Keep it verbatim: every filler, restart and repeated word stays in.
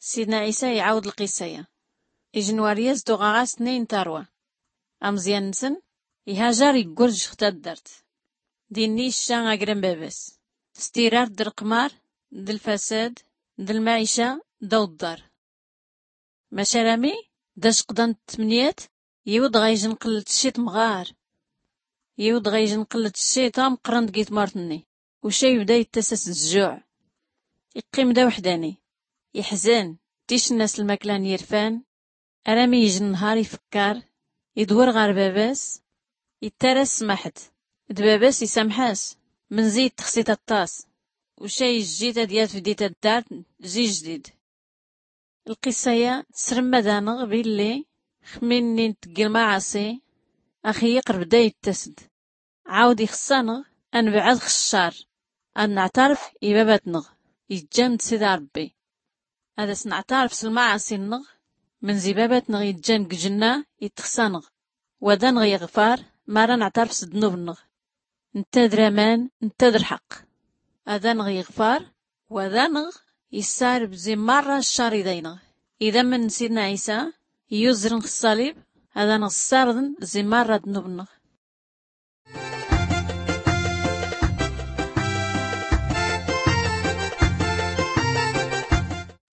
Sidna ɛisa iɛawd lqissa-ya. Ijnwar-yas d-uɣaɣas-nni n-tarwa. Amẓyan-nsn ihajar iggurjx taddart. Dinni icca agran baba-s s-tirart d-lqmar d-lfasad d-lmɛica d-awḍḍar. Mac arami d-acqḍan d-tmniyat, yiwḍ ɣa ijnqll-t cciṭ mɣar. Yiwḍ ɣa ijnqll-t cciṭ ameqqran deg-i tmurt-nni. Uca ibda ittas-as d-jjuɛ. Iqqim d-awḥdani, iḥzan, ticnna s-lmakla n-yirfan. Arami ijn nnhar ifkkar, idwr ɣar baba-s, ittar-as smaḥt. D-baba-s isamḥ-as. Mnzi ittxsit aṭṭas. Uca ijjit ad-yafdi taddart zi jdid. Lqissa-ya tsrmad-anɣ billi xmin-nni n-tggi lmaɛaṣi, ax-iyyq rbda ittas-d. Ɛawd ixṣṣa-nɣ ad-nbɛd x-ccar, ad-nɛtarf i-babat-nɣ iǧǧan-d sida rbbi. Ad-as-nɛtarf s-lmaɛaṣi-nnɣ. Mnzi babat-nɣ iǧǧan g-ǧnna ittxṣa-nɣ, wa d-anɣ-iɣfar. Mara nɛtarf s-ddnub-nnɣ, ntta d-raman, ntta d-lḥqq. Ad-anɣ-iɣfar, wa d-anɣ-issarb zi marra ccar-id-aynɣ. Idamn n-sidna ɛisa iyuzrn x-ṣṣalib, ad-anɣ-ssarḍn zi marra ddnub-nnɣ.